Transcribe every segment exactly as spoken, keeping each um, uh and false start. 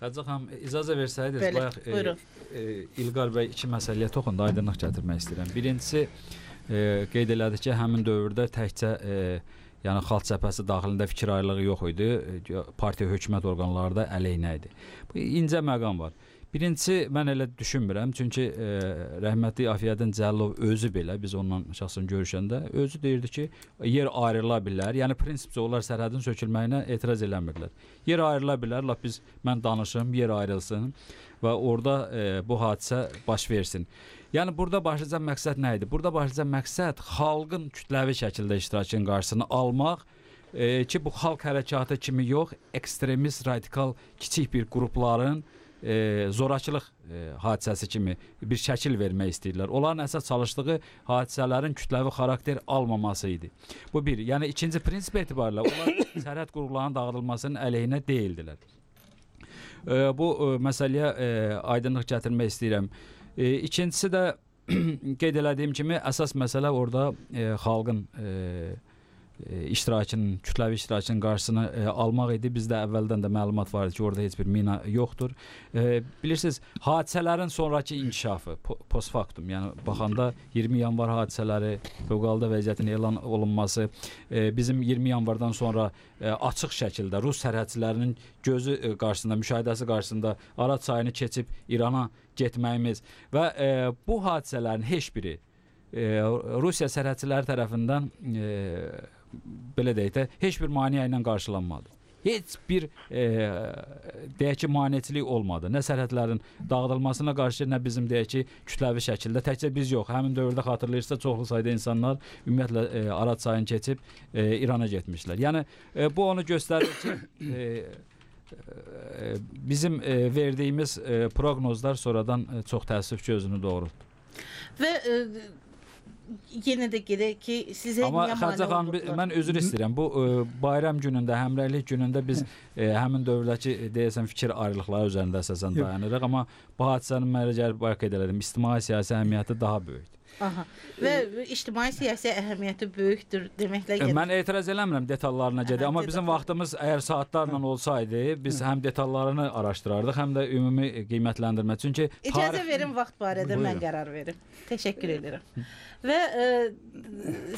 Xədicə xanım, icazə versəydiniz, Bəli, bayaq e, buyurun. e, İlqar bəy iki məsələyə toxundu, aydınlıq gətirmək istəyirəm. Birincisi, e, qeyd elədi ki, həmin dövrdə təkcə e, yəni xalq cəbhəsi daxilində fikir ayrılığı yox idi, e, partiya hökumət orqanları da əleyhinə idi. Bu incə məqam var. Birincisi, mən elə düşünmürəm, çünki e, rəhmətli Afiyəddin Cəlilov özü belə, biz onunla şəxsən görüşəndə, özü deyirdi ki, yer ayrıla bilər, yəni prinsipcə onlar sərhədin sökülməyinə etiraz eləmirlər. Yer ayrıla bilər, lap biz, mən danışım, yer ayrılsın və orada e, bu hadisə baş versin. Yəni, burada başlıca məqsəd nə idi? Burada başlıca məqsəd xalqın kütləvi şəkildə iştirakının qarşısını almaq, e, ki, bu xalq hərəkatı kimi yox, ekstremist, radikal, kiçik bir qrupların E, zorakılıq e, hadisəsi kimi bir şəkil vermək istəyirlər. Onların əsas çalışdığı hadisələrin kütləvi xarakter almaması idi. Bu bir. Yəni ikinci prinsip etibarilə onlar sərhəd qurğularının dağıdılmasının əleyhinə deyildilər. E, bu e, məsələyə e, aydınlıq gətirmək istəyirəm. E, ikincisi də qeyd elədiyim kimi əsas məsələ orada e, xalqın e, iştirakının, kütləvi iştirakının qarşısını e, almaq idi. Bizdə əvvəldən də məlumat var idi ki, orada heç bir mina yoxdur. E, bilirsiniz, hadisələrin sonraki inkişafı, po postfaktum, yəni baxanda iyirmi yanvar hadisələri, fövqəladə vəziyyətin elan olunması, e, bizim iyirmi yanvardan sonra e, açıq şəkildə Rus sərhədçilərinin gözü e, qarşısında, müşahidəsi qarşısında Araz çayını keçib İrana getməyimiz və e, bu hadisələrin heç biri e, Rusiya sərhədçiləri tərəfindən e, belə deyək də, heç bir maneə ilə qarşılanmadı. Heç bir e, deyək ki, maneçilik olmadı. Nə sərhədlərin dağıdılmasına qarşı, nə bizim deyək ki, kütləvi şəkildə, təkcə biz yox, həmin dövrdə xatırlayırsa çoxlu sayda insanlar ümumiyyətlə e, Araz çayını keçib e, İrana getmişlər. Yəni, e, bu onu göstərir ki, e, e, bizim e, verdiyimiz e, proqnozlar sonradan e, çox təəssüf ki, özünü doğrultdu. Və e, yenə də gedək ki, sizə amma niyə Xədicə xanım, mən üzr istəyirəm. Bu e, bayram günündə, həmrəylik günündə biz e, həmin dövrləki e, deyəsən fikir ayrılıqları üzərində əsasən dayanırıq, amma bu hadisənin mənə gəlib bayaq qeyd elədim, ictimai-siyasi əhəmiyyəti daha böyükdür. Aha. Və ictimai-siyasi əhəmiyyəti böyükdür deməklə e, mən etiraz eləmirəm detallarına gedə, amma bizim vaxtımız əgər saatlarla olsaydı, biz həm detallarını araşdırardıq, həm də ümumi qiymətləndirmə. Çünki İcazə tarix... verin vaxt barədə mən qərar verim. Təşəkkür edirəm. Və e,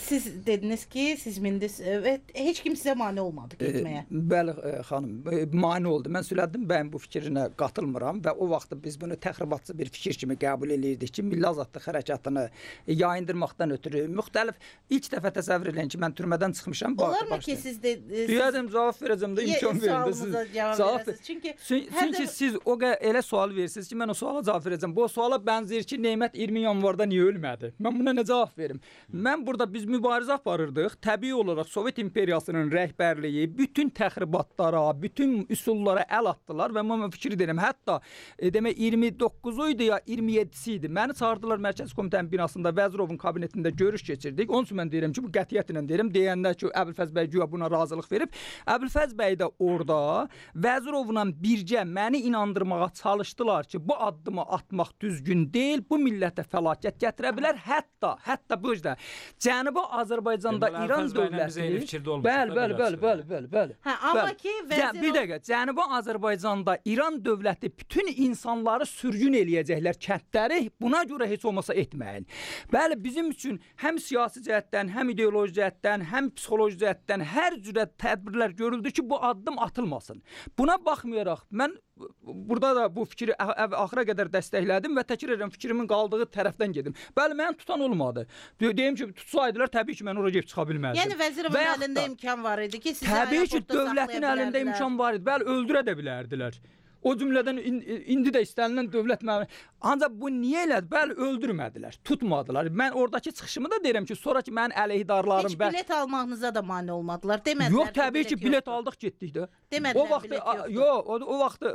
siz dediniz ki, siz mindiniz və heç kim sizə mane olmadı getməyə. E, bəli e, xanım, e, mane oldu. Mən Sülədin bəyin bu fikrinə qatılmıram və o vaxt biz bunu təxribatçı bir fikir kimi qəbul edirdik ki, milli azadlıq hərəkatını yayındırmaqdan ötürü müxtəlif ilk dəfə təsəvvür edin ki, mən türmədən çıxmışam. Olarmı ki, siz də deyədim, cavab verəcəm də imkan verin də siz cavab verəsiniz. Çünki çünki siz o elə sual verirsiniz ki, mən o suala cavab verəcəm. Bu suala bənzəyir ki, Neymət iyirmi yanvarda niyə ölmədi? Mən buna nə cavab verim? Mən burada biz mübarizə aparırdıq. Təbii olaraq Sovet imperiyasının rəhbərliyi bütün təxribatlara, bütün üsullara əl atdılar və mən fikir edirəm. Hətta e, demək iyirmi doqquzu idi ya iyirmi yeddisi idi. Məni çağırdılar Mərkəzi Komitənin binasında Vəzirovun kabinetində görüş keçirdik. Onun üçün mən deyirəm ki, bu qətiyyətlə deyirəm. Deyəndə ki, Əbülfəz bəy güya buna razılıq verib. Əbülfəz bəy də orada Vəzirovla birgə məni inandırmağa çalışdılar ki, bu addımı atmaq düzgün deyil, bu millətə fəlakət gətirə bilər. Hətta, hətta bu yüzden Cənubi Azərbaycanda Deməli, İran dövləti bəli, bəli, bəli, bəli, bəli, bəli. Hə, amma bəli. ki, vəzir bir dəqiqə, Cənubi Azərbaycanda İran dövləti bütün insanları sürgün eləyəcəklər kəndləri, buna görə heç olmasa etməyin. Bəli, bizim üçün həm siyasi cəhətdən, həm ideoloji cəhətdən, həm psixoloji cəhətdən hər cürə tədbirlər görüldü ki, bu addım atılmasın. Buna baxmayaraq, mən burada da bu fikri axıra qədər dəstəklədim və təkrar edirəm, fikrimin qaldığı tərəfdən gedim. Bəli, mən tutan olmadı. Deyim ki, tutsaydılar, təbii ki, mən oraya gedib çıxa bilməzdim. Yəni vəzirin əlində imkan var idi ki, sizi təbii ki, dövlətin əlində imkan var idi. Bəli, öldürə də bilərdilər. O cümlədən indi də istənilən dövlət məmuru. Ancaq bu niyə elədi? Bəli, öldürmədilər, tutmadılar. Mən oradakı çıxışımı da deyirəm ki, sonra ki, mənim əleyhidarlarım... Heç bilet almağınıza da mane olmadılar, demədilər. Yox, təbii ki, bilet aldıq, getdik də. Demədilər, bilet yoxdur. Yox, o vaxt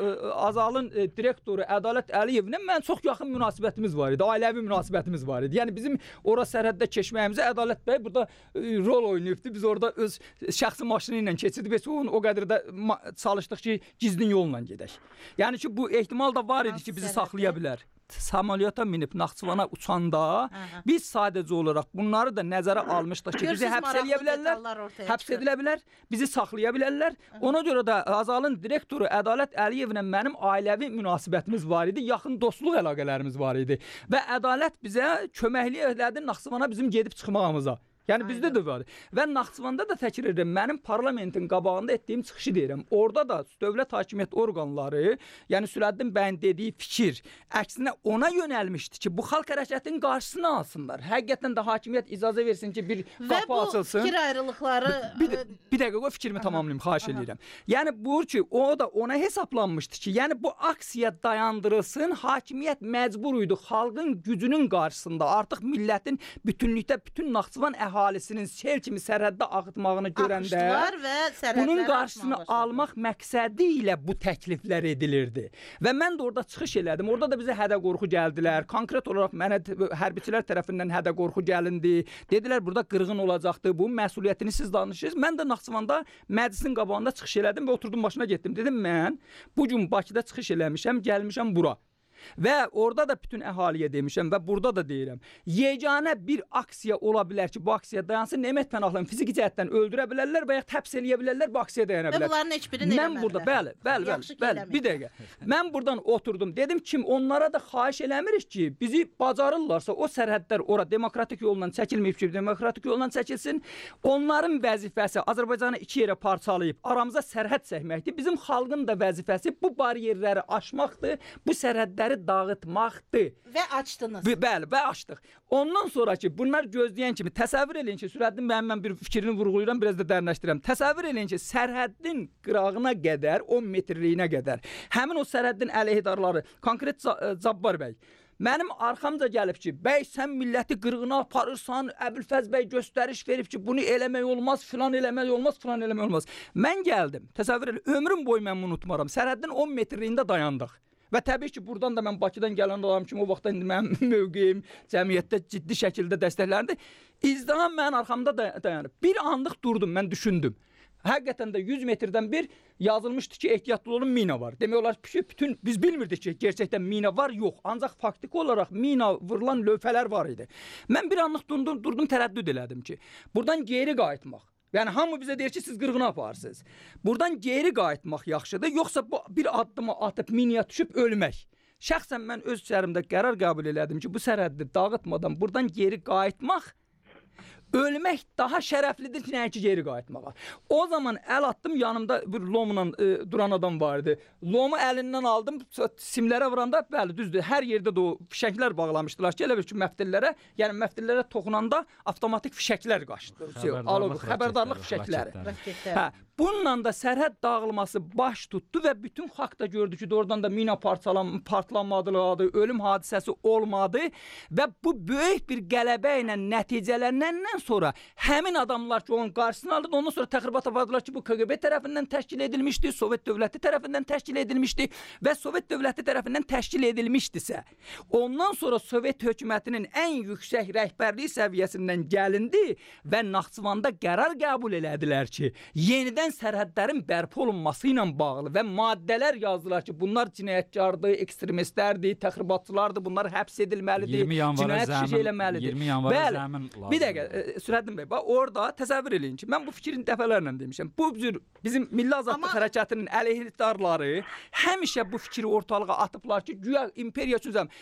Azalın direktoru Ədalət Əliyevlə mən çox yaxın münasibətimiz var idi, ailəvi münasibətimiz var idi. Yəni, bizim ora sərhəddə keçməyimizə Ədalət bəy burada rol oynayıbdı. Biz orada öz şəxsi maşını ilə keçirdik və o qədər də çalışdıq ki, gizlin yolla gedək. Yəni ki, bu ehtimal da var idi ki, bizi saxlaya bilər. Samolyota minib Naxçıvana uçanda Aha. biz sadəcə olaraq bunları da nəzərə almışdıq ki, bizi həbs eləyə bilərlər, həbs edilə bilər, bizi saxlaya bilərlər. Aha. Ona görə də Azalın direktoru Ədalət Əliyevlə mənim ailəvi münasibətimiz var idi, yaxın dostluq əlaqələrimiz var idi və Ədalət bizə köməklik elədi Naxçıvana bizim gedib çıxmağımıza. Yəni bizdə də var. Və Naxçıvanda da təkrar edirəm, mənim parlamentin qabağında etdiyim çıxışı deyirəm. Orada da dövlət hakimiyyət orqanları, yəni Sürəddin bəyin dediyi fikir əksinə ona yönəlmişdi ki, bu xalq hərəkətinin qarşısını alsınlar. Həqiqətən də hakimiyyət icazə versin ki, bir qapı açılsın. Və bu fikir ayrılıqları... Bir, bir, bir dəqiqə o fikrimi tamamlayayım, xahiş edirəm. Yəni bu ki, o da ona hesablanmışdı ki, yəni bu aksiya dayandırılsın, hakimiyyət məcbur idi xalqın gücünün qarşısında artıq millətin bütünlükdə bütün Naxçıvan əhalisinin sel kimi sərhəddə ağıtmağını görəndə bunun qarşısını almaq məqsədi ilə bu təkliflər edilirdi. Və mən də orada çıxış elədim. Orada da bizə hədə qorxu gəldilər. Konkret olaraq mənə hərbçilər tərəfindən hədə qorxu gəlindi. Dedilər burada qırğın olacaqdı. Bu məsuliyyətini siz danışırsınız. Mən də Naxçıvanda məclisin qabağında çıxış elədim və oturdum başına getdim. Dedim mən bu gün Bakıda çıxış eləmişəm, gəlmişəm bura. Və orada da bütün əhaliyə demişəm və burada da deyirəm. Yeganə bir aksiya ola bilər ki, bu aksiya dayansın. Nemət Pənahlı'nı fiziki cəhətdən öldürə bilərlər və ya həbs eləyə bilərlər, bu aksiya dayana bilər. Və bunların heç birini eləmədilər. Mən burada, bəli, bəli, bəli, bəli, bir dəqiqə. Mən buradan oturdum. Dedim kim onlara da xahiş eləmirik ki, bizi bacarırlarsa o sərhədlər ora demokratik yolla çəkilməyib ki, demokratik yolla çəkilsin. Onların vəzifəsi Azərbaycanı iki yerə parçalayıb aramıza sərhəd çəkməkdir. Bizim xalqın da vəzifəsi bu bariyerləri aşmaqdır, bu sərhədləri dağıtmaqdır. Və açdınız. Bəli, və açdıq. Ondan sonra ki, bunlar gözləyən kimi təsəvvür eləyin ki, Sürəddin bəyin mən bir fikrini vurğulayıram, biraz da dərinləşdirirəm. Təsəvvür eləyin ki, sərhəddin qırağına qədər, on metrliyinə qədər həmin o sərhəddin əleyhidarları, konkret Cabbar bəy mənim arxamca gəlib ki, bəy sən milləti qırğına aparırsan, Əbülfəz bəy göstəriş verib ki, bunu eləmək olmaz, filan eləmək olmaz, filan eləmək olmaz. Mən gəldim, təsəvvür elə, ömrüm boyu mən bunu unutmaram. Sərhəddin on metrliyində dayandıq. Və təbii ki, buradan da mən Bakıdan gələn adam kimi o vaxtda indi mənim mövqeyim cəmiyyətdə ciddi şəkildə dəstəkləndi. İzdiham mənim arxamda dayanıb. Bir anlıq durdum, mən düşündüm. Həqiqətən də yüz metrdən bir yazılmışdı ki, ehtiyatlı olun, mina var. Demək olar ki, bütün biz bilmirdik ki, gerçəkdən mina var, yox. Ancaq faktiki olaraq mina vurulan lövhələr var idi. Mən bir anlıq durdum, durdum tərəddüd elədim ki, buradan geri qayıtmaq. Yəni hamı bizə deyir ki, siz qırğına aparırsınız. Buradan geri qayıtmaq yaxşıdır, yoxsa bu bir addımı atıb minaya düşüb ölmək. Şəxsən mən öz içərimdə qərar qəbul elədim ki, bu sərhəddi dağıtmadan buradan geri qayıtmaq, ölmək daha şərəflidir ki, nəyə ki, geri qayıtmağa. O zaman əl atdım, yanımda bir lomla e, duran adam vardı. Lomu əlindən aldım, simlərə vuranda, bəli, düzdür, hər yerdə də o fişəklər bağlamışdılar ki, elə bir ki, məftillərə, yəni məftillərə toxunanda avtomatik fişəklər qaçdı. Xəbərdarlıq, xəbərdarlıq fişəkləri. Hə, bununla da sərhəd dağılması baş tutdu və bütün xalq da gördü ki, oradan da mina partlanmadı, ölüm hadisəsi olmadı və bu böyük bir qələbə ilə nəticələnəndən sonra həmin adamlar ki, onun qarşısını aldı, ondan sonra təxribat apardılar ki, bu K G B tərəfindən təşkil edilmişdi, Sovet dövləti tərəfindən təşkil edilmişdi və Sovet dövləti tərəfindən təşkil edilmişdisə, ondan sonra Sovet hökumətinin ən yüksək rəhbərlik səviyyəsindən gəlindi və Naxçıvanda qərar qəbul elədilər ki, yenidən sərhədlərin bərpa olunması ilə bağlı və maddələr yazdılar ki, bunlar cinayətkardır, ekstremistlərdir, təxribatçılardır, bunlar həbs edilməlidir, cinayət işi eləməlidir. iyirmi yanvara zəmin lazımdır. Bir dəqiqə, Sürəddin bəy, bax orada təsəvvür eləyin ki, mən bu fikrin dəfələrlə demişəm. Bu cür bizim Milli Azadlıq Amma... Hərəkatının əleyhdarları həmişə bu fikri ortalığa atıblar ki, güya imperiya üçün zəm.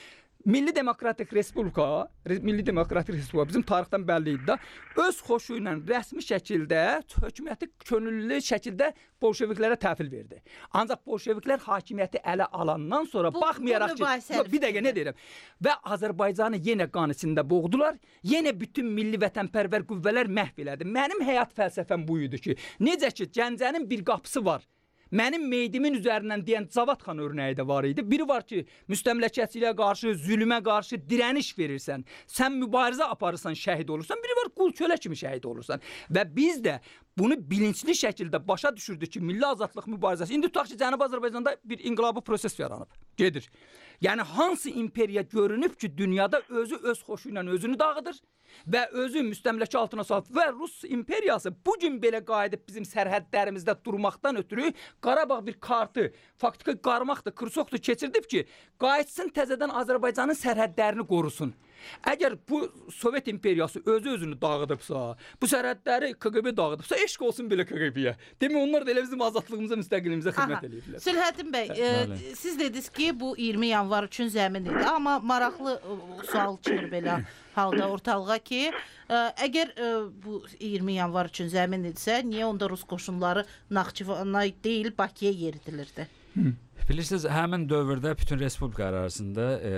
Milli Demokratik Respublika, Milli Demokratik Respublika bizim tarixdən bəlli idi da, öz xoşu ilə rəsmi şəkildə hökuməti könüllü şəkildə bolşeviklərə təhvil verdi. Ancaq bolşeviklər hakimiyyəti ələ alandan sonra bu, baxmayaraq bu ki, bir dəqiqə nə deyirəm, və Azərbaycanı yenə qan içində boğdular, yenə bütün milli vətənpərvər qüvvələr məhv elədi. Mənim həyat fəlsəfəm bu idi ki, necə ki, Gəncənin bir qapısı var. Mənim meydimin üzərindən deyən Cavad xan örnəyi də var idi. Biri var ki, müstəmləkəçiliyə qarşı, zülmə qarşı dirəniş verirsən. Sən mübarizə aparırsan, şəhid olursan. Biri var, qul kölə kimi şəhid olursan. Və biz də bunu bilinçli şəkildə başa düşürdü ki, milli azadlıq mübarizəsi. İndi tutaq ki, Cənubi Azərbaycanda bir inqilabi proses yaranıb, gedir. Yəni hansı imperiya görünüb ki, dünyada özü öz xoşu ilə özünü dağıdır və özü müstəmləkə altına salıb və Rus imperiyası bugün belə qayıdıb bizim sərhədlərimizdə durmaqdan ötürü Qarabağ bir kartı, faktiki qarmaqdır, kırsoqdur keçirdib ki, qayıtsın təzədən Azərbaycanın sərhədlərini qorusun. Əgər bu Sovet imperiyası özü özünü dağıdıbsa, bu sərhədləri K G B dağıdıbsa, eşq olsun belə K G B-yə. Demək onlar da elə bizim azadlığımıza, müstəqilliyimizə xidmət edirlər. Sülhəddin bəy, e, siz dediniz ki, bu iyirmi yanvar üçün zəmin idi, amma maraqlı e, sual çıxır belə halda ortalığa ki, e, əgər e, bu iyirmi yanvar üçün zəmin idisə, niyə onda Rus qoşunları Naxçıvana deyil, Bakıya yeridilirdi? Hı. Bilirsiniz, həmin dövrdə bütün respublika arasında e,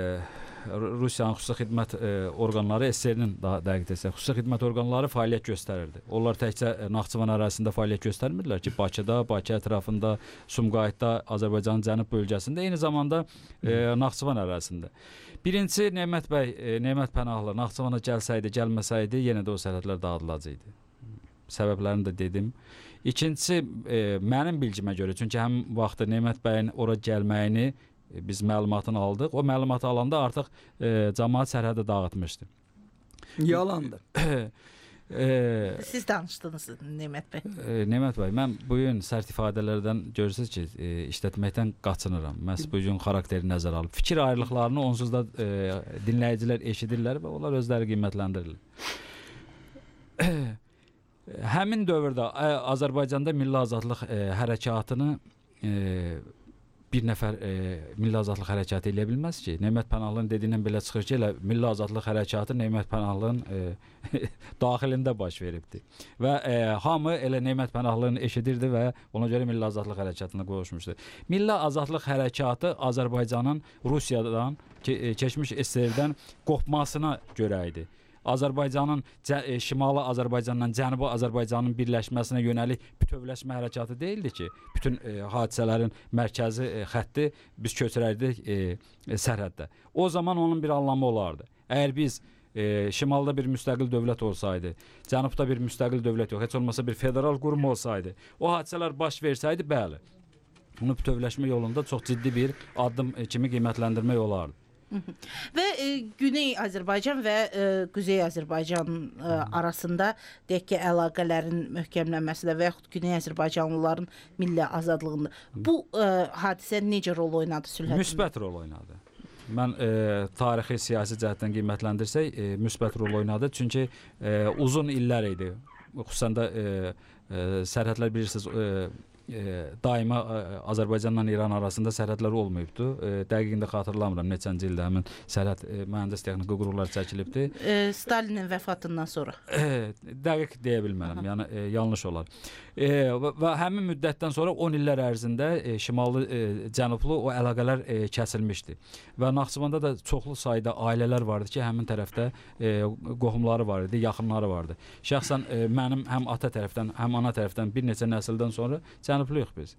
Rusiyanın xüsusi xidmət e, orqanları, S S R-nin daha dəqiq desək, xüsusi xidmət orqanları fəaliyyət göstərirdi. Onlar təkcə Naxçıvan ərazisində fəaliyyət göstərmirdilər ki, Bakıda, Bakı ətrafında, Sumqayıtda, Azərbaycanın cənub bölgəsində, eyni zamanda e, Naxçıvan ərazisində. Birincisi, Nemət bəy, e, Nemət Pənahlı Naxçıvana gəlsəydi, gəlməsəydi, yenə də o sərhədlər dağıdılacaqdı. Səbəblərini də dedim. İkincisi, e, mənim bilgimə görə, çünki həm vaxtı Nemət bəyin ora gəlməyini biz məlumatını aldıq. O məlumatı alanda artıq e, cəmaət sərhədə dağıtmışdı. Yalandır. e, Siz danışdınız Nemət bəy. E, Nemət bəy, mən bu gün sərt ifadələrdən görürsünüz ki, e, işlətməkdən qaçınıram. Məhz bu gün xarakteri nəzərə alıb. Fikir ayrılıqlarını onsuz da e, dinləyicilər eşidirlər və onlar özləri qiymətləndirirlər. Həmin dövrdə Azərbaycanda milli azadlıq e, hərəkatını e, bir nəfər e, milli azadlıq hərəkatı eləyə bilməz ki. Nemət Pənahlının dediyindən belə çıxır ki, elə milli azadlıq hərəkatı Nemət Pənahlının e, daxilində baş veribdi. Və e, hamı elə Nemət Pənahlını eşidirdi və ona görə milli azadlıq hərəkatına qoşmuşdu. Milli azadlıq hərəkatı Azərbaycanın Rusiyadan, ke keçmiş S S R-dən qopmasına görə idi. Azərbaycanın e, şimalı Azərbaycandan Cənubi Azərbaycanın birləşməsinə yönəlik bütövləşmə hərəkatı deyildi ki, bütün e, hadisələrin mərkəzi e, xətti biz köçürərdik e, e, sərhəddə. O zaman onun bir anlamı olardı. Əgər biz e, şimalda bir müstəqil dövlət olsaydı, cənubda bir müstəqil dövlət yox, heç olmasa bir federal qurum olsaydı, o hadisələr baş versəydi, bəli, bunu bütövləşmə yolunda çox ciddi bir addım e, kimi qiymətləndirmək olardı. Və e, Güney Azərbaycan və e, Quzey Azərbaycan e, arasında deyək ki, əlaqələrin möhkəmlənməsində və yaxud Güney Azərbaycanlıların milli azadlığında bu e, hadisə necə rol oynadı Sülhəddin? Müsbət rol oynadı. Mən e, tarixi siyasi cəhətdən qiymətləndirsək, e, müsbət rol oynadı. Çünki e, uzun illər idi. Xüsusən də e, e, sərhədlər bilirsiniz, e, E, daima e, Azərbaycanla İran arasında sərhədlər olmayıbdı. E, dəqiqində xatırlamıram neçənci ildə həmin sərhəd e, mühəndis texniki qurğular çəkilibdi. E, Stalinin vəfatından sonra. E, dəqiq deyə bilmərəm. Aha. Yəni e, yanlış olar. E, və, və həmin müddətdən sonra on illər ərzində e, şimallı e, cənublu o əlaqələr e, kəsilmişdi. Və Naxçıvanda da çoxlu sayda ailələr vardı ki, həmin tərəfdə e, qohumları var idi, yaxınları vardı. Şəxsən e, mənim həm ata tərəfdən, həm ana tərəfdən bir neçə nəsildən sonra cənubluyuq biz.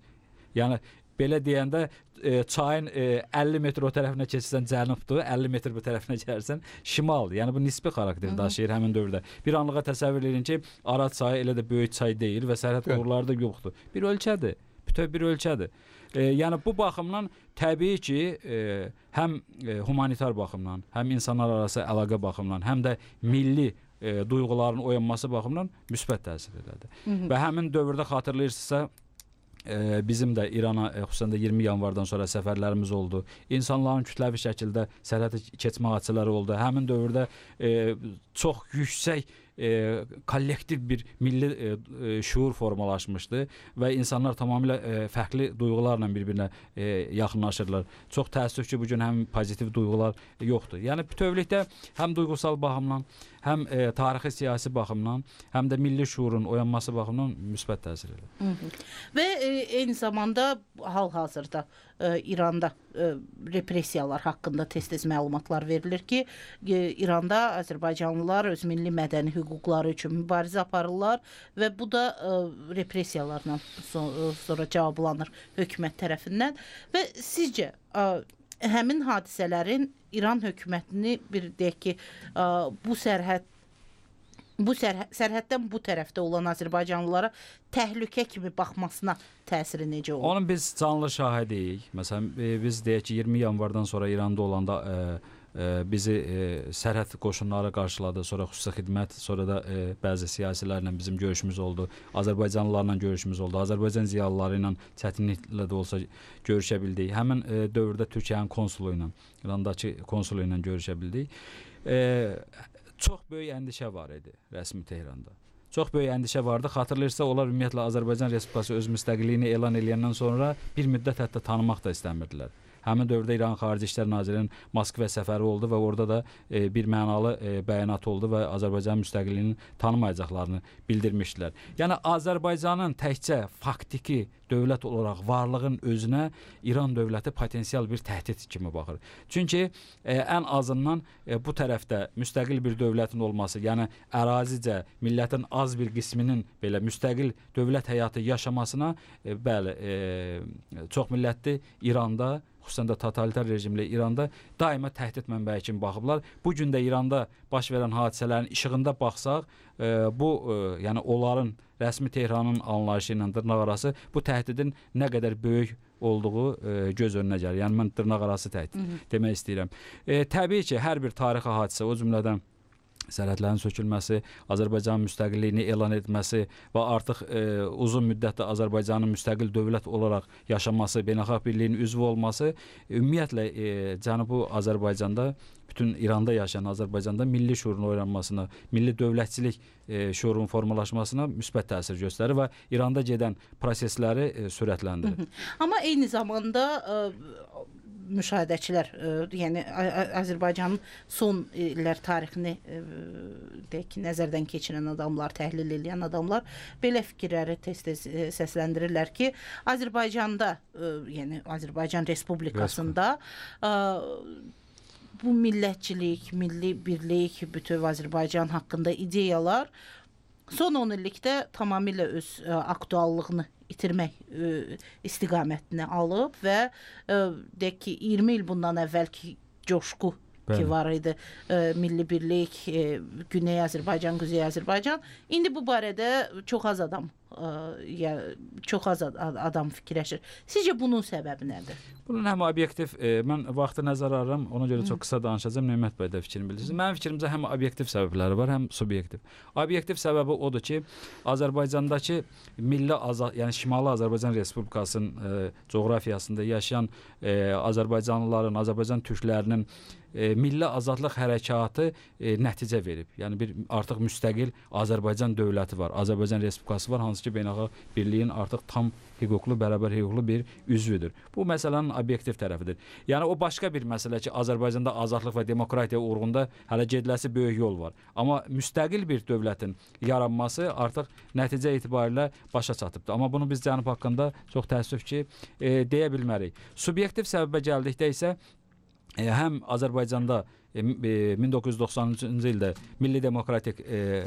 Yəni belə deyəndə e, çayın e, əlli metr o tərəfinə keçsən cənubdur, əlli metr bu tərəfinə gəlsən şimaldır. Yəni bu nisbi xarakter daşıyır həmin dövrdə. Bir anlığa təsəvvür edin ki, Araz çayı elə də böyük çay deyil və sərhəd qurğuları da yoxdur. Bir ölkədir. Bütöv bir ölkədir. E, yəni bu baxımdan təbii ki, e, həm e, humanitar baxımdan, həm insanlar arası əlaqə baxımdan, həm də milli e, duyğuların oyanması baxımından müsbət təsir edir. Və həmin dövrdə xatırlayırsınızsa, e, bizim də İrana e, xüsusən də iyirmi yanvardan sonra səfərlərimiz oldu. İnsanların kütləvi şəkildə sərhəd keçmə hadisələri oldu. Həmin dövrdə e, çox yüksək e, kollektiv bir milli e, şuur formalaşmışdı və insanlar tamamilə e, fərqli duyğularla bir-birinə e, yaxınlaşırlar. Çox təəssüf ki, bu gün həm pozitiv duyğular yoxdur. Yəni bütövlükdə həm duyğusal baxımdan, həm e, tarixi siyasi baxımdan, həm də milli şuurun oyanması baxımından müsbət təsir edir. Və e, eyni zamanda hal-hazırda e, İranda e, repressiyalar haqqında tez-tez məlumatlar verilir ki, e, İranda Azərbaycanlılar öz milli mədəni hüquqları üçün mübarizə aparırlar və bu da e, repressiyalarla so sonra cavablanır hökumət tərəfindən. Və sizcə e, həmin hadisələrin İran hökumətini bir deyək ki, e, bu sərhəd bu sərhə sərhəddən bu tərəfdə olan azərbaycanlılara təhlükə kimi baxmasına təsiri necə olur? Onun biz canlı şahidiyik. Məsələn, e, biz deyək ki, iyirmi yanvardan sonra İranda olanda e, e, bizi e, sərhəd qoşunları qarşıladı, sonra xüsusi xidmət, sonra da e, bəzi siyasilərlə bizim görüşümüz oldu, Azərbaycanlılarla görüşümüz oldu, Azərbaycan ziyalıları ilə çətinliklə də olsa görüşə bildik. Həmin e, dövrdə Türkiyənin konsulu ilə, İrandakı konsulu ilə görüşə bildik. E, çox böyük əndişə var idi rəsmi Tehranda. Çox böyük əndişə vardı. Xatırlayırsa, onlar ümumiyyətlə Azərbaycan Respublikası öz müstəqilliyini elan edəndən sonra bir müddət hətta tanımaq da istəmirdilər. Həmin dövrdə İran Xarici İşlər Nazirinin Moskva səfəri oldu və orada da e, bir mənalı e, bəyanat oldu və Azərbaycan müstəqilliyini tanımayacaqlarını bildirmişdilər. Yəni Azərbaycanın təkcə faktiki dövlət olaraq varlığın özünə İran dövləti potensial bir təhdid kimi baxır. Çünki e, ən azından e, bu tərəfdə müstəqil bir dövlətin olması, yəni ərazicə millətin az bir qisminin belə müstəqil dövlət həyatı yaşamasına e, bəli, e, çox millətli İranda, xüsusən də totalitar rejimli İranda daima təhdid mənbəyi kimi baxıblar. Bu gün də İranda baş verən hadisələrin işığında baxsaq, e, bu e, yəni onların rəsmi Tehranın anlayışı ilə dırnaqarası bu təhdidin nə qədər böyük olduğu e, göz önünə gəlir. Yəni mən dırnaqarası təhdid Hı -hı. demək istəyirəm. E, təbii ki, hər bir tarixi hadisə, o cümlədən sərhədlərin sökülməsi, Azərbaycanın müstəqilliyini elan etməsi və artıq e, uzun müddətdə Azərbaycanın müstəqil dövlət olaraq yaşaması, beynəlxalq birliyin üzvü olması ümumiyyətlə e, Cənubi Azərbaycanda, bütün İranda yaşayan Azərbaycanda milli şuurun oyanmasına, milli dövlətçilik e, şuurun formalaşmasına müsbət təsir göstərir və İranda gedən prosesləri e, sürətləndirir. Hı -hı. Amma eyni zamanda e, müşahidəçilər, ə, yəni Azərbaycanın son illər tarixini ə, deyək ki, nəzərdən keçirən adamlar, təhlil edən adamlar belə fikirləri tez-tez səsləndirirlər ki, Azərbaycanda, ə, yəni Azərbaycan Respublikasında ə, bu millətçilik, milli birlik, bütöv Azərbaycan haqqında ideyalar son on illikdə tamamilə öz ə, aktuallığını itirmək ə, istiqamətini alıb və ə, deyək ki, iyirmi il bundan əvvəlki coşqu Bəli. ki var idi, ə, milli birlik, ə, Güney Azərbaycan, Quzey Azərbaycan, indi bu barədə çox az adam ə, ya çox az adam fikirləşir. Sizcə bunun səbəbi nədir? Bunun həm obyektiv, e, mən vaxtı nəzərə alıram, ona görə çox qısa danışacağam. Nemət bəy də fikrini bilirsiniz. Mənim fikrimcə həm obyektiv səbəbləri var, həm subyektiv. Obyektiv səbəbi odur ki, Azərbaycandakı milli azad, yəni Şimali Azərbaycan Respublikasının e, coğrafiyasında yaşayan e, Azərbaycanlıların, Azərbaycan türklərinin e, milli azadlıq hərəkatı e, nəticə verib. Yəni bir artıq müstəqil Azərbaycan dövləti var, Azərbaycan Respublikası var, hansı ki beynəlxalq birliyin artıq tam hüquqlu, bərabər hüquqlu bir üzvüdür. Bu məsələnin obyektiv tərəfidir. Yəni o başqa bir məsələ ki, Azərbaycanda azadlıq və demokratiya uğrunda hələ gediləsi böyük yol var. Amma müstəqil bir dövlətin yaranması artıq nəticə etibarilə başa çatıbdır. Amma bunu biz Cənub haqqında çox təəssüf ki, e, deyə bilmərik. Subyektiv səbəbə gəldikdə isə e, həm Azərbaycanda e, min doqquz yüz doxsanıncı ildə milli demokratik e,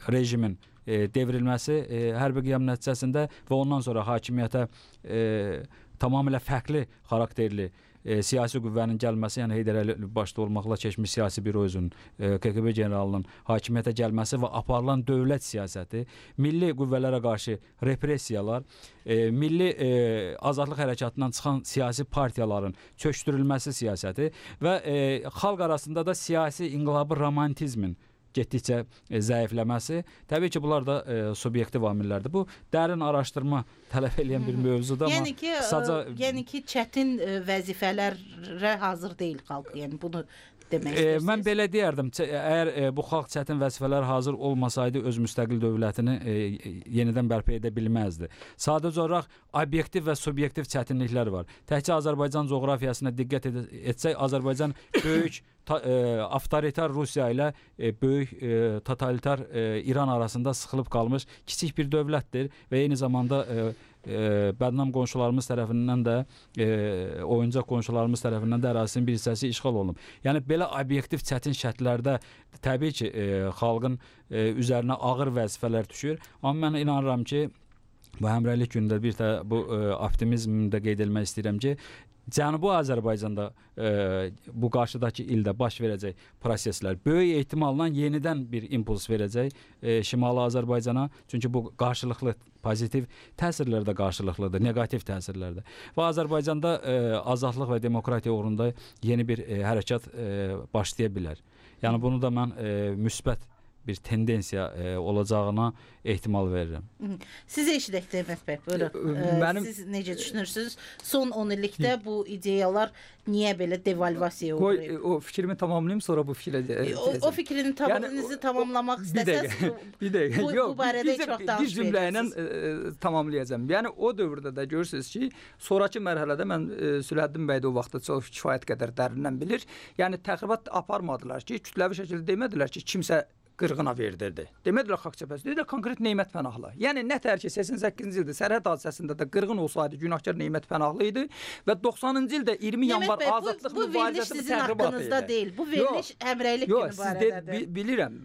rejimin e, devrilməsi e, hərbi qiyam nəticəsində və ondan sonra hakimiyyətə e, tamamilə fərqli xarakterli e, siyasi qüvvənin gəlməsi, yəni Heydər Əliyev başda olmaqla keçmiş siyasi bürosunun, e, K G B generalının hakimiyyətə gəlməsi və aparılan dövlət siyasəti, milli qüvvələrə qarşı repressiyalar, e, milli e, azadlıq hərəkatından çıxan siyasi partiyaların çökdürülməsi siyasəti və e, xalq arasında da siyasi inqilabı romantizmin getdikcə e, zəifləməsi, təbii ki, bunlar da e, subyektiv amillərdir. Bu dərin araşdırma tələb edən bir mövzudur, amma yəni ki, sadəcə ə, yəni ki, çətin ə, vəzifələrə hazır deyil xalq, yəni bunu demək e, mən belə deyərdim, əgər e, bu xalq çətin vəzifələrə hazır olmasaydı öz müstəqil dövlətini e, yenidən bərpa edə bilməzdi. Sadəcə olaraq obyektiv və subyektiv çətinliklər var. Təkcə Azərbaycan coğrafiyasına diqqət ed etsək, Azərbaycan böyük Ta, e, avtoritar Rusiya ilə e, böyük e, totalitar e, İran arasında sıxılıb qalmış kiçik bir dövlətdir və eyni zamanda e, e, bədnam qonşularımız tərəfindən də e, oyuncaq qonşularımız tərəfindən də ərazisinin bir hissəsi işğal olunub. Yəni belə obyektiv çətin şərtlərdə təbii ki, e, xalqın e, üzərinə ağır vəzifələr düşür. Amma mən inanıram ki, bu həmrəylik günündə bir də bu e, optimizmdə qeyd etmək istəyirəm ki, Cənubi Azərbaycanda e, bu qarşıdakı ildə baş verəcək proseslər böyük ehtimalla yenidən bir impuls verəcək e, Şimali Azərbaycana. Çünki bu qarşılıqlı pozitiv təsirlər də qarşılıqlıdır, neqativ təsirlər də. Və Azərbaycanda e, azadlıq və demokratiya uğrunda yeni bir e, hərəkat e, başlaya bilər. Yəni bunu da mən e, müsbət bir tendensiya e, olacağına ehtimal verirəm. Siz eşidək Demək bəy, buyurun. Mənim... Siz necə düşünürsünüz? Son on illikdə bu ideyalar niyə belə devalvasiya uğrayıb? O fikrimi tamamlayayım, sonra bu fikrə... O, o fikrini tamamınızı yəni, tamamlamaq istəsəz, bir dəqiqə, bu, yox, bu barədə çox danış bir cümlə ilə e, tamamlayacağım. Yəni o dövrdə də görürsünüz ki, sonraki mərhələdə mən e, Süləhəddin bəy də o vaxtda çox kifayət qədər dərindən bilir. Yəni təxribat aparmadılar ki, kütləvi şəkildə demədilər ki, kimsə qırğına verdirdi. Demədilər xalq cəbhəsi, dedilər konkret Neymət Pənahlı. Yəni nə tər ki səksən səkkizinci ildə sərhəd hadisəsində də qırğın olsaydı günahkar Neymət Pənahlı idi və doxsanıncı ildə iyirmi yanvar azadlıq mübarizəsi bu təxribat idi. Deyil. Bu veriliş həmrəylik günü barədədir. Yox, bilirəm.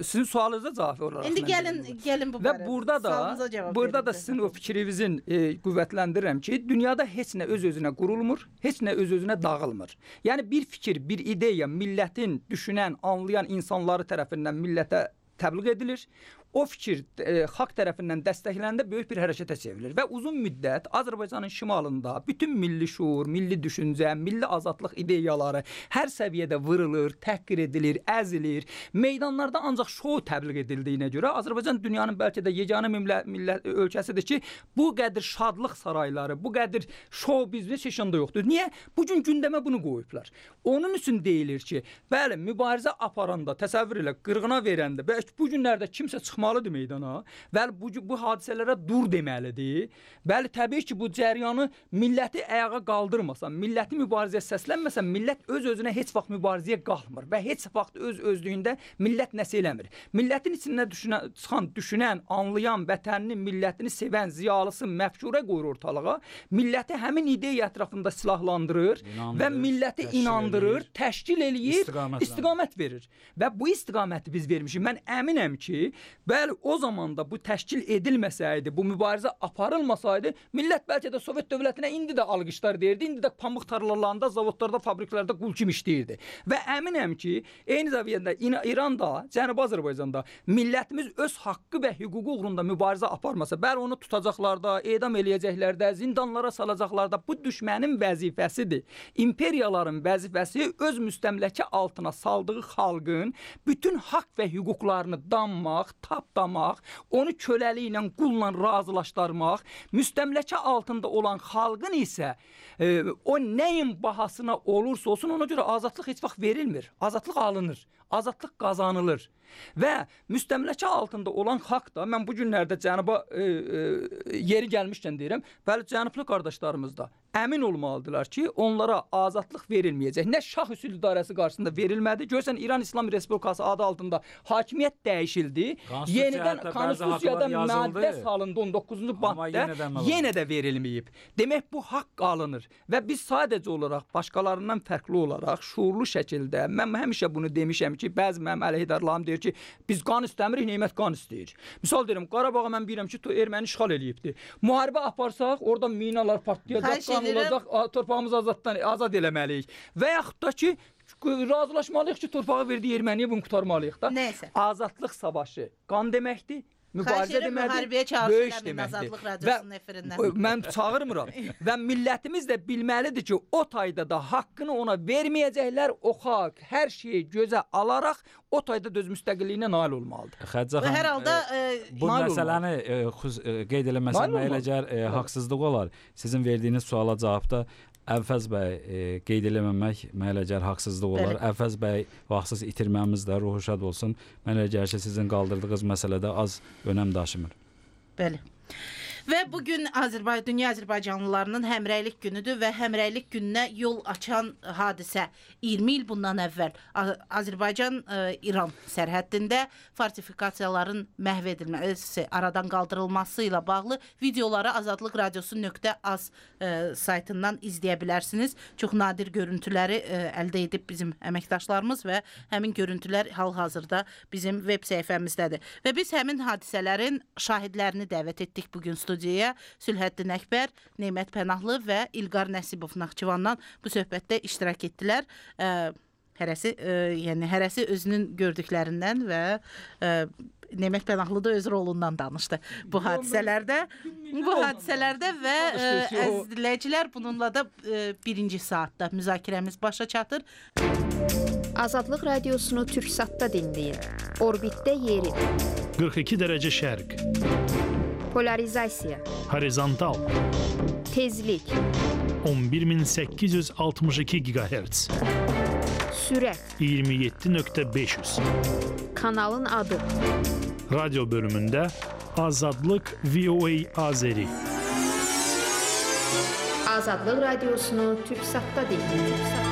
Sizin sualınıza cavab olaraq. İndi gəlin, gəlin bu barədə. Və burada da, burada da sizin o fikrinizin e, qüvvətləndirirəm ki, dünyada heç nə öz-özünə qurulmur, heç nə öz-özünə dağılmır. Yəni bir fikir, bir ideya millətin düşünən, anlayan insanları tərəfindən millətə təbliğ edilir. O fikir e, xalq tərəfindən dəstəkləndə böyük bir hərəkətə çevrilir və uzun müddət Azərbaycanın şimalında bütün milli şuur, milli düşüncə, milli azadlıq ideyaları hər səviyyədə vırılır, təhqir edilir, əzilir. Meydanlarda ancaq şou təbliğ edildiyinə görə Azərbaycan dünyanın bəlkə də yeganə millət, millət ölkəsidir ki, bu qədər şadlıq sarayları, bu qədər şou biznes heç yanda yoxdur. Niyə? Bugün gündəmə bunu qoyublar. Onun üçün deyilir ki, bəli, mübarizə aparanda, təsəvvür elə, qırğına verəndə, bəlkə bu günlərdə kimsə çıxır çıxmalıdır meydana. Bəli, bu, bu hadisələrə dur deməlidir. Bəli, təbii ki, bu cəryanı milləti ayağa qaldırmasa, milləti mübarizəyə səslənməsə, millət öz-özünə heç vaxt mübarizəyə qalmır və heç vaxt öz-özlüyündə millət nəsə eləmir. Millətin içində düşünən, çıxan, düşünən, anlayan, vətənini, millətini sevən, ziyalısı, məfkura qoyur ortalığa. Milləti həmin ideya ətrafında silahlandırır inandırır, və milləti təşkil inandırır, eləyir, təşkil eləyir, istiqamət, istiqamət verir. Və bu istiqaməti biz vermişik. Mən əminəm ki, bəli, o zamanda bu təşkil edilməsəydi, bu mübarizə aparılmasaydı, millət bəlkə də Sovet dövlətinə indi də alqışlar deyirdi, indi də pamıq tarlalarında, zavodlarda, fabriklərdə qul kimi işləyirdi. Və əminəm ki, eyni səviyyədə İranda, Cənubi Azərbaycanda millətimiz öz haqqı və hüququ uğrunda mübarizə aparmasa, bəli, onu tutacaqlar da, edam eləyəcəklər də, zindanlara salacaqlar da, bu düşmənin vəzifəsidir. İmperiyaların vəzifəsi öz müstəmləkə altına saldığı xalqın bütün haqq və hüquqlarını danmaq, tapdamaq, onu köləli ilə, qulla razılaşdırmaq, müstəmləkə altında olan xalqın isə e, o nəyin bahasına olursa olsun, ona görə azadlıq heç vaxt verilmir. Azadlıq alınır, azadlıq qazanılır. Və müstəmləkə altında olan xalq da, mən bu günlərdə Cənuba e, e, yeri gəlmişkən deyirəm, bəli, cənublu qardaşlarımız da əmin olmalıdırlar ki, onlara azadlıq verilməyəcək. Nə şah üsul idarəsi qarşısında verilmədi. Görsən, İran İslam Respublikası adı altında hakimiyyət dəyişildi. Yenidən konstitusiyada maddə salındı on doqquzuncu maddə, yenə də verilməyib. Demək, bu haqq alınır. Və biz sadəcə olaraq, başqalarından fərqli olaraq, şuurlu şəkildə, mən həmişə bunu demişəm ki, bəzi mənim əleyhidarlarım deyir ki, biz qan istəmirik, Neymət qan istəyir. Misal deyirəm, Qarabağa mən bilirəm ki, erməni işğal eləyibdir. Müharibə aparsaq, orada minalar partlayacaq, qan olacaq, torpağımızı azaddan, azad eləməliyik. Və yaxud da ki, razılaşmalıyıq ki, torpağı verdiyi erməniyə bunu qurtarmalıyıq da. Nəysə. Azadlıq savaşı qan deməkdir. Mübarizə deməkdir, böyük deməkdir. Və mən çağırmıram. Və millətimiz də bilməlidir ki, o tayda da haqqını ona verməyəcəklər, o xalq hər şeyi gözə alaraq o tayda döz müstəqilliyinə nail olmalıdır. Xədicə xanım, hər halda e, bu məsələni e, xüs, e, qeyd eləməsəm elə gəl e, haqsızlıq olar. Sizin verdiyiniz suala cavabda Əvfəz bəy e, qeyd eləməmək mənə elə gəlir haqsızlıq olar. Bəli. Əvfəz bəy vaxtsız itirməmiz də ruhu şad olsun. Mənə elə gəlir ki, sizin qaldırdığınız məsələdə az önəm daşımır. Bəli. Və bugün Azərbaycan, dünya Azərbaycanlılarının həmrəylik günüdür və həmrəylik gününə yol açan hadisə iyirmi il bundan əvvəl Azərbaycan-İran sərhəddində fortifikasiyaların məhv edilməsi, aradan qaldırılması ilə bağlı videoları Azadlıq Radiosu nöqtə az saytından izləyə bilərsiniz. Çox nadir görüntüləri əldə edib bizim əməkdaşlarımız və həmin görüntülər hal-hazırda bizim veb səhifəmizdədir. Və biz həmin hadisələrin şahidlərini dəvət etdik bugün studiyaya. studiyaya Sülhəddin Əkbər, Nemət Pənahlı və İlqar Nəsibov Naxçıvandan bu söhbətdə iştirak etdilər. Hərəsi, yəni hərəsi özünün gördüklərindən və Nemət Pənahlı da öz rolundan danışdı bu hadisələrdə. Bu hadisələrdə və əziz dinləyicilər, bununla da birinci saatda müzakirəmiz başa çatır. Azadlıq radiosunu Türksatda dinləyin. Orbitdə yeri. qırx iki dərəcə şərq. Polarizasiya. Horizontal. Tezlik. on bir min səkkiz yüz altmış iki gigahertz. Sürət. iyirmi yeddi nöqtə beş yüz. Kanalın adı. Radyo bölümündə Azadlıq V O A Azeri. Azadlıq radiosunu Türksatda dinləyin.